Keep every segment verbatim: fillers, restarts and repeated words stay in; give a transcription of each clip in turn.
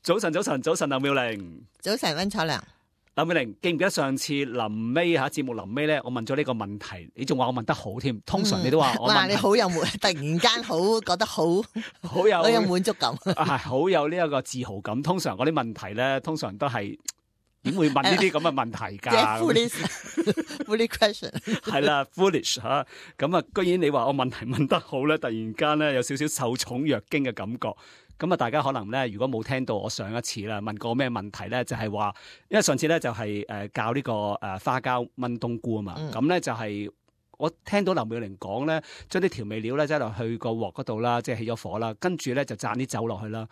早晨，早晨，早晨，劉妙玲。早晨，溫楚良。劉妙玲，記唔記得上次臨尾吓節目臨尾咧，我問咗呢個問題，你仲話我問得好添。通常你都話我問、嗯、哇，你好有滿，突然間好覺得好好有好有滿足感，係好有呢一個自豪感。通常嗰啲問題咧，通常都係點會問呢啲咁嘅問題㗎？即係 foolish question 係啦，foolish 吓咁啊！居然你話我問題問得好咧，突然間咧有少少受寵若驚嘅感覺。咁啊，大家可能咧，如果冇聽到我上一次啦，問過咩問題咧，就係話，因為上次咧就係誒教呢個誒花膠炆冬菇啊嘛，咁咧、嗯、就係我聽到劉妙玲講咧，將啲調味料咧擠落去個鑊嗰度啦，即係起咗火啦，跟住咧就灒啲酒落去啦。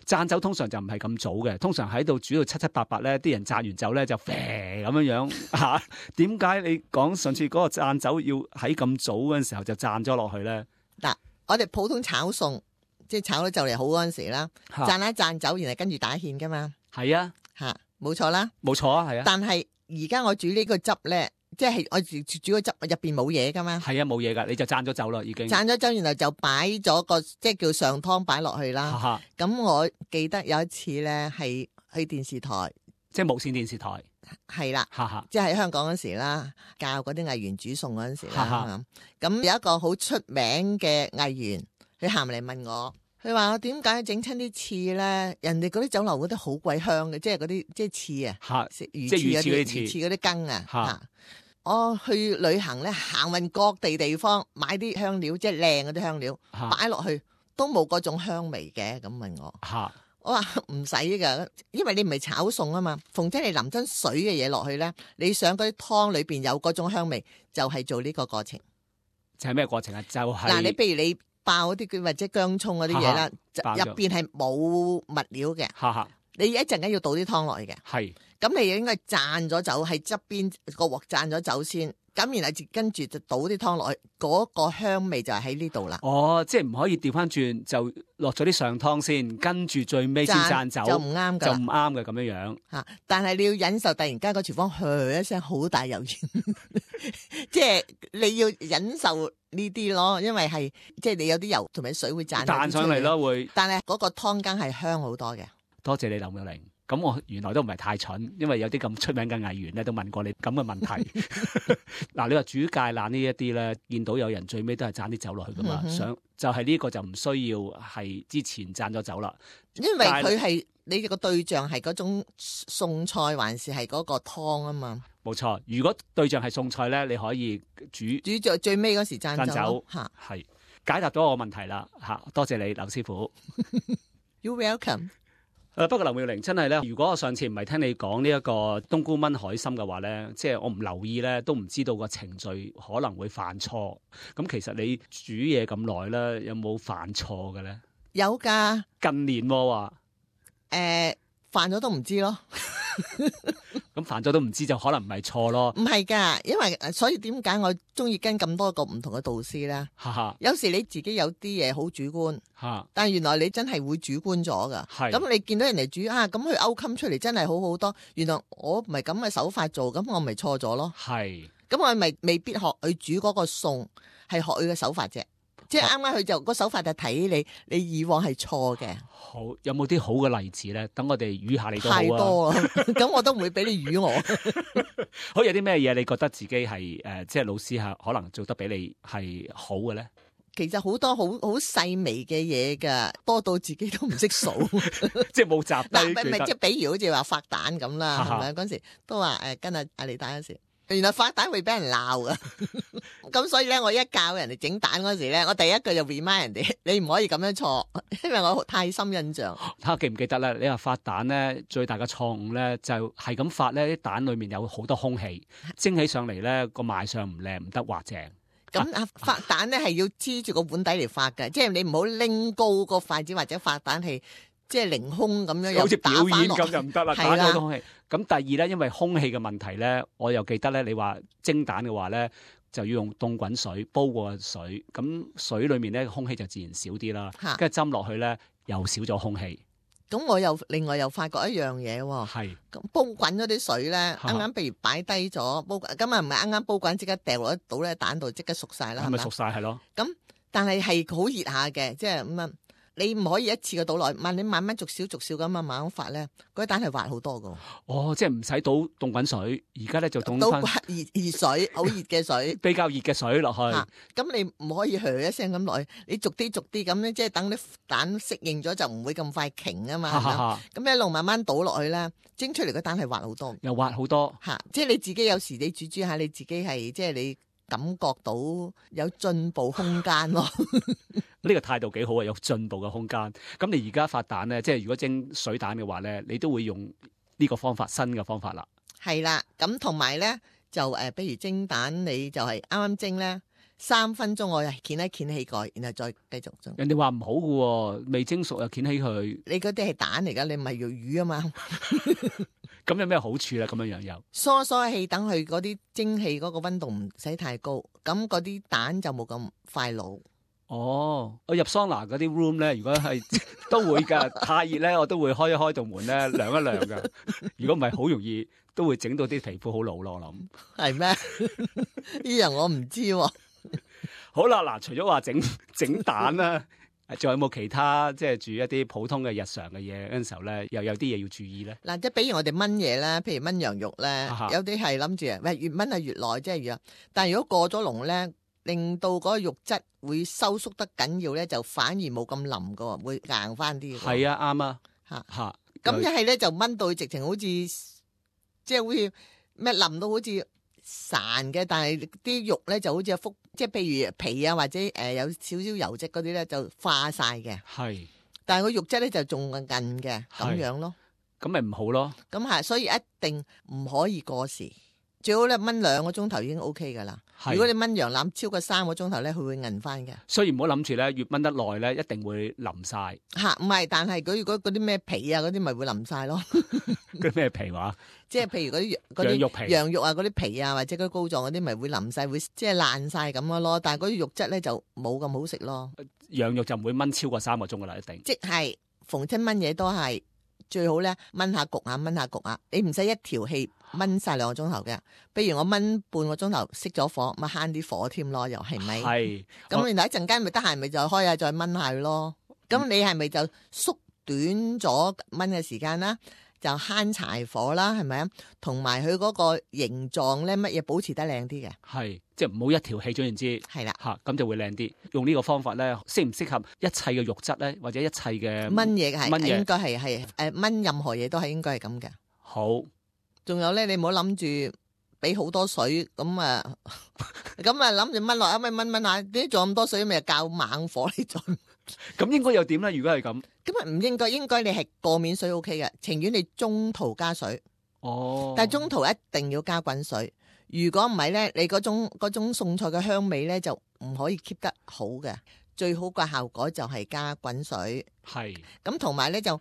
灒酒通常就唔係咁早嘅，通常喺度煮到七七八八咧，啲人灒完酒咧就啡咁樣樣嚇。點解你講上次嗰個灒酒要喺咁早嗰陣時候就灒咗落去咧？嗱，我哋普通炒餸。即係炒到就嚟好嗰陣時啦，灒一灒酒，然後跟住打芡噶嘛。係啊，吓冇錯啦，冇錯啊，係啊。但係而家我煮呢個汁咧，即係我煮煮個汁入邊冇嘢噶嘛。係啊，冇嘢噶，你就灒咗酒啦，已經。灒咗酒，然後就擺咗個即係叫上湯擺落去啦。咁我記得有一次咧，係去電視台，即係無線電視台，係啦，即係喺香港嗰時啦，教嗰啲藝員煮餸嗰陣時啦。咁有一個好出名嘅藝員，佢行嚟問我。佢話我點解整親啲翅咧？人哋嗰啲酒樓嗰啲好鬼香嘅，即係嗰啲即係翅啊，食魚翅嗰啲魚翅嗰啲羹啊。吓，我去旅行咧，行勻各地地方，買啲香料，即係靚嗰啲香料，擺落去都冇嗰種香味嘅。咁問我，吓，我話唔使噶，因為你唔係炒餸啊嘛。逢親你淋真水嘅嘢落去咧，你想嗰啲湯裏邊有嗰種香味，就係做呢個過程。就係咩過程啊？就係嗱，你譬如你。爆嗰啲或者薑葱嗰啲嘢啦，入邊係冇物料嘅。哈哈，你一陣間要倒啲湯落去嘅。係，咁你應該灒咗酒喺側邊個鑊灒咗酒先，咁然後跟住就倒啲湯落去，嗰、嗰個香味就係喺呢度啦。哦，即係唔可以調翻轉，就落咗啲上湯先，跟住最尾先灒酒，就唔啱噶，就唔啱嘅咁樣樣。吓，但係你要忍受突然間個廚房噓一聲好大油煙，即係你要忍受。呢啲咯，因為係即係你有啲油同埋水會灒彈上嚟咯，會。但係嗰個湯羹係香好多嘅。多謝你劉妙玲。咁我原來都唔係太蠢，因為有啲咁出名嘅藝員咧都問過你咁嘅問題。嗱，你話煮芥蘭呢一啲咧，見到有人最尾都係灒啲酒落去噶嘛？嗯、想就係、是、呢個就唔需要係之前灒咗酒啦。因為佢係你個對象係嗰種餸菜，還是係嗰個湯啊嘛？冇錯，如果對象係餸菜咧，你可以煮煮最最尾嗰時灒酒吓，係解答咗我問題啦吓，多謝你劉師傅。You welcome。誒，不過劉妙玲真係咧，如果我上次唔係聽你講呢一個冬菇炆海參嘅話咧，即係我唔留意咧，都唔知道個程序可能會犯錯。咁其實你煮嘢咁耐咧，有冇犯錯嘅咧？有噶，近年話誒犯咗都唔知咯。咁犯咗都唔知就可能唔係錯咯，唔係噶，因為所以點解我中意跟咁多個唔同嘅導師咧？有時你自己有啲嘢好主觀，但係原來你真係會主觀咗噶。咁你見到人哋煮啊，咁佢勾芡出嚟真係好好多。原來我唔係咁嘅手法做，咁我咪錯咗咯。係，咁我咪未必學佢煮嗰個餸，係學佢嘅手法啫。即係啱啱佢就個手法就睇你，你以往係錯嘅。好，有冇啲好嘅例子咧？等我哋語下你都好啊。太多啦，咁我都唔會俾你語我。好，有啲咩嘢你覺得自己係誒、呃，即係老師係可能做得比你係好嘅咧？其實好多好好細微嘅嘢噶，多到自己都唔識數，即係冇集低。唔係即係，比如好似話發蛋咁啦，係咪嗰時都話誒、呃，跟阿阿李蛋嗰時。原來發蛋會俾人鬧噶，咁所以咧，我一教人哋整蛋嗰時咧，我第一句就 remind 人哋，你唔可以咁樣錯，因為我太深印象。睇下記唔記得咧？你話發蛋咧，最大嘅錯誤咧就係咁發咧，啲蛋裏面有好多空氣，蒸起上嚟咧個賣相唔靚，唔得滑正。咁啊，發蛋咧係要黐住個碗底嚟發嘅，即係你唔好拎高個筷子或者發蛋係。即係凌空咁樣，好似表演咁就唔得啦，打咗空氣。咁第二咧，因為空氣嘅問題咧，我又記得咧，你話蒸蛋嘅話咧，就要用凍滾水煲過水，咁水裏面咧空氣就自然少啲啦。跟住斟落去咧，又少咗空氣。咁我又另外又發覺一樣嘢喎，係咁煲滾咗啲水咧，啱啱譬如擺低咗煲，咁啊唔係啱啱煲滾即刻掉落一倒咧蛋度即刻熟晒啦，係咪熟晒係咯？咁但係係好熱下嘅，即係咁樣。你唔可以一次過倒落去，慢你慢慢逐少逐少咁啊慢慢發咧，嗰啲蛋係滑好多噶。哦，即係唔使倒凍滾水，而家咧就凍翻熱熱水，好熱嘅水，比較熱嘅水落去。咁、啊、你唔可以噓一聲咁落去，你逐啲逐啲咁咧，即係等啲蛋適應咗就唔會咁快瓊啊嘛。咁一路慢慢倒落去咧，蒸出嚟嘅蛋係滑好多，又滑好多。吓、啊，即係你自己有時你煮煮下，你自己係即係你感覺到有進步空間咯。呢個態度幾好啊，有進步嘅空間。咁你而家發蛋咧，即係如果蒸水蛋嘅話咧，你都會用呢個方法，新嘅方法啦。係啦，咁同埋咧就誒，比、呃、如蒸蛋，你就係啱啱蒸咧三分鐘，我係掀一掀起蓋，然後再繼續蒸。人哋話唔好嘅，未蒸熟又掀起佢。你嗰啲係蛋嚟噶，你唔係用魚啊嘛。咁有咩好處咧？咁樣樣有疏疏氣，等佢嗰啲蒸汽嗰個溫度唔使太高，咁嗰啲蛋就冇咁快老。哦，我入桑拿嗰啲 room 咧，如果係都會噶，太熱咧，我都會開一開道門咧，涼一涼噶。如果唔係，好容易都會整到啲皮膚好老咯。我諗係咩？呢樣我唔知喎。好啦，嗱，除咗話整整蛋啦，仲有冇其他即係煮一啲普通嘅日常嘅嘢嗰陣時候咧，又有啲嘢要注意咧？嗱，即係比如我哋炆嘢咧，譬如炆羊肉咧，有啲係諗住喂越炆係越耐，即係越。但係如果過咗籠咧，令到嗰個肉質會收縮得緊要咧，就反而冇咁腍噶，會硬翻啲。係啊，啱啊，吓吓。咁一係咧就炆到直情好似即係好似咩腍到好似散嘅，但係啲肉咧就好似一幅，即係譬如皮啊或者誒、呃、有少少油脂嗰啲咧就化晒嘅。係，但係個肉質咧就仲韌嘅咁樣咯。咁咪唔好咯。咁係，所以一定唔可以過時。最好咧炆兩個鐘頭已經 O K 噶啦。如果你炆羊腩超過三個鐘頭咧，佢會韌翻嘅。所以唔好諗住咧，越炆得耐咧，一定會腍晒。吓，唔係，但係佢如果嗰啲咩皮啊嗰啲咪會腍晒咯。嗰啲咩皮話？即係譬如嗰啲羊肉皮、羊肉啊嗰啲皮啊，或者嗰啲膏狀嗰啲咪會腍晒，會即係爛晒咁咯。但係嗰啲肉質咧就冇咁好食咯。羊肉就唔會炆超過三個鐘噶啦，一定。即係逢親炆嘢都係最好咧，炆下焗下，炆下焗下，你唔使一條氣炆晒兩個鐘頭嘅。比如我炆半個鐘頭熄咗火，咪慳啲火添咯，又係咪？係。咁然後一陣間咪得閒咪就開下再炆下咯。咁你係咪就縮短咗炆嘅時間啦？就慳柴火啦，係咪啊？同埋佢嗰個形狀咧，乜嘢保持得靚啲嘅？係，即係唔好一條氣，總言之係啦，吓咁就會靚啲。用呢個方法咧，適唔適合一切嘅肉質咧，或者一切嘅炆嘢係應該係係誒炆任何嘢都係應該係咁嘅。好，仲有咧，你唔好諗住俾好多水咁啊，咁啊諗住炆落一咪炆炆下，點解仲咁多水？咪較猛火你再。咁應該又點咧？如果係咁，咁啊唔應該，應該你係過面水 O K 嘅，情願你中途加水。哦，但係中途一定要加滾水。如果唔係咧，你嗰種嗰種餸菜嘅香味咧就唔可以 keep 得好嘅。最好嘅效果就係加滾水。係。咁同埋咧就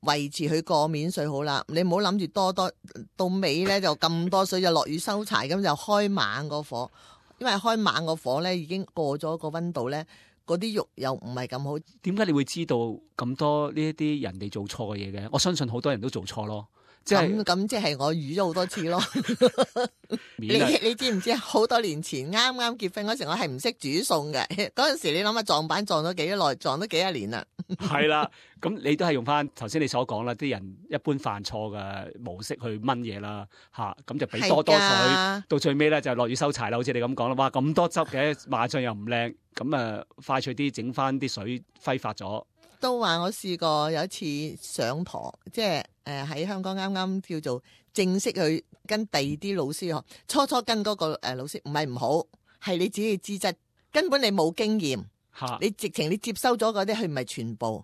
維持佢過面水好啦。你唔好諗住多多到尾咧就咁多水就落雨收柴，咁就開猛個火，因為開猛個火咧已經過咗個溫度咧。嗰啲肉又唔係咁好，點解你會知道咁多呢一啲人哋做錯嘅嘢嘅？我相信好多人都做錯咯，即係咁即係我預咗好多次咯。你你知唔知好多年前啱啱結婚嗰時，我係唔識煮餸嘅。嗰陣時你諗下撞板撞咗幾耐，撞咗幾多年啦。係啦，咁你都係用翻頭先你所講啦，啲人一般犯錯嘅模式去炆嘢啦，吓咁就俾多多水，到最尾咧就落雨收柴啦。好似你咁講啦，哇咁多汁嘅，賣相又唔靚，咁啊快脆啲整翻啲水揮發咗。都話我試過有一次上堂，即係誒喺香港啱啱叫做正式去跟第二啲老師學，初初跟嗰個誒老師唔係唔好，係你自己嘅資質，根本你冇經驗，你直情你接收咗嗰啲，佢唔係全部，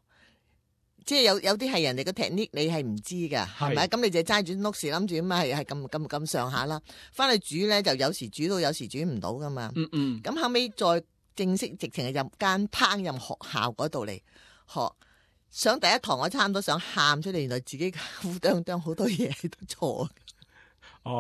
即係有有啲係人哋嘅 technique，你係唔知噶，係咪？咁你就齋住碌時諗住咁啊，係係咁咁咁上下啦。翻去煮咧，就有時煮到，有時煮唔到噶嘛。嗯嗯。咁後尾再正式直情係入間烹飪學校嗰度嚟學，上第一堂我差唔多想喊出嚟，原來自己烏當當好多嘢都錯，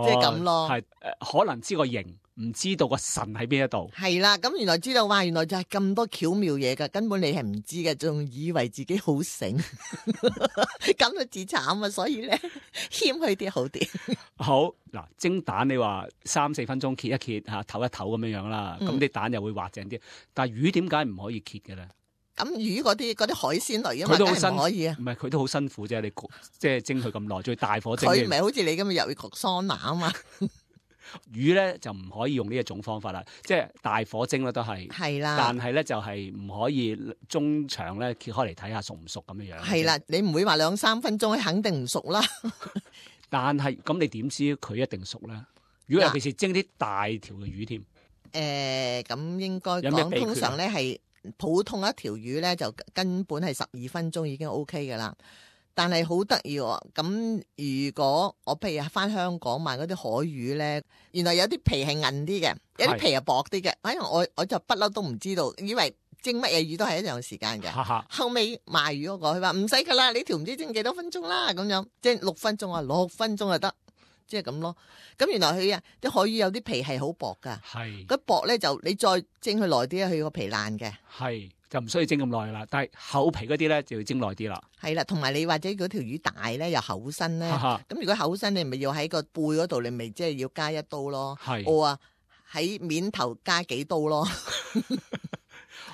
即係咁咯。係誒，可能知個形，唔知道個神喺邊一度。係啦，咁原來知道話，原來就係咁多巧妙嘢噶，根本你係唔知嘅，仲以為自己好醒，咁就自慘啊！所以咧，謙虛啲好啲。好嗱，蒸蛋你話三四分鐘揭一揭吓，唞一唞咁樣樣啦，咁啲、嗯、蛋又會滑淨啲。但係魚點解唔可以揭嘅咧？咁魚嗰啲嗰啲海鮮類啊嘛，梗係唔可以啊。唔係佢都好辛苦啫，你即係蒸佢咁耐，最大火蒸。佢唔係好似你咁又要焗桑拿啊嘛。魚咧就唔可以用呢一種方法啦，即係大火蒸咧都係。係啦。但係咧就係唔可以中長咧揭開嚟睇下熟唔熟咁樣樣。係啦，你唔會話兩三分鐘肯定唔熟啦。但係咁你點知佢一定熟咧？如果尤其是蒸啲大條嘅魚添。誒、呃，咁應該講通常咧係普通一條魚咧就根本係十二分鐘已經 O K 噶啦。但係好得意喎，咁如果我譬如翻香港買嗰啲海魚咧，原來有啲皮係韌啲嘅，有啲皮係薄啲嘅。哎呀，我我就不嬲都唔知道，以為蒸乜嘢魚都係一樣時間嘅。後尾賣魚嗰個佢話唔使噶啦，你條唔知蒸幾多分鐘啦，咁樣即係六分鐘啊，六分鐘就得，即係咁咯。咁原來佢啊啲海魚有啲皮係好薄噶，係嗰薄咧就你再蒸佢耐啲咧，佢個皮爛嘅。係。就唔需要蒸咁耐啦，但係厚皮嗰啲咧就要蒸耐啲啦。係啦，同埋你或者嗰條魚大咧又厚身咧，咁如果厚身你咪要喺個背嗰度，你咪即係要加一刀咯。係，我啊喺面頭加幾刀咯。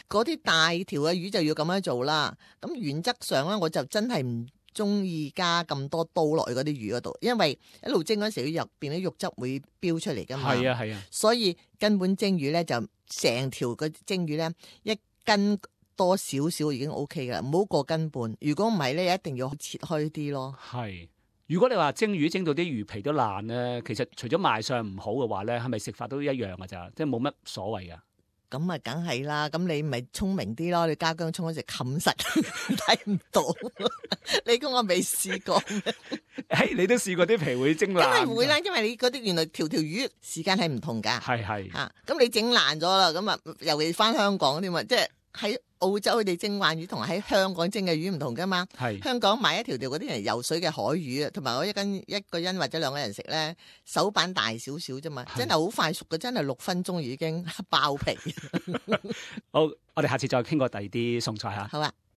嗰啲大條嘅魚就要咁樣做啦。咁原則上咧，我就真係唔中意加咁多刀落去嗰啲魚嗰度，因為一路蒸嗰時入邊啲肉汁會飆出嚟噶嘛。係啊係啊，所以根本蒸魚咧就成條個蒸魚咧一斤多少少已經 O K 噶啦，唔好過斤半。如果唔係咧，一定要切開啲咯。係，如果你話蒸魚蒸到啲魚皮都爛咧，其實除咗賣相唔好嘅話咧，係咪食法都一樣噶咋？即係冇乜所謂噶。咁啊，梗係啦。咁你咪聰明啲咯，你加薑葱嗰時冚實睇唔到。你估我未試過？誒、hey，你都試過啲皮會蒸爛？梗係唔會啦，因為你嗰啲原來條條魚時間係唔同噶。係係吓，咁、啊、你整爛咗啦，咁啊，尤其翻香港添嘛，即係喺澳洲佢哋蒸鯇魚同喺香港蒸嘅魚唔同噶嘛。係香港買一條條嗰啲人游水嘅海魚啊，同埋我一斤一個人或者兩個人食咧，手板大少少啫嘛，真係好快熟嘅，真係六分鐘已經爆皮。好，我哋下次再傾過第二啲餸菜吓。好啊。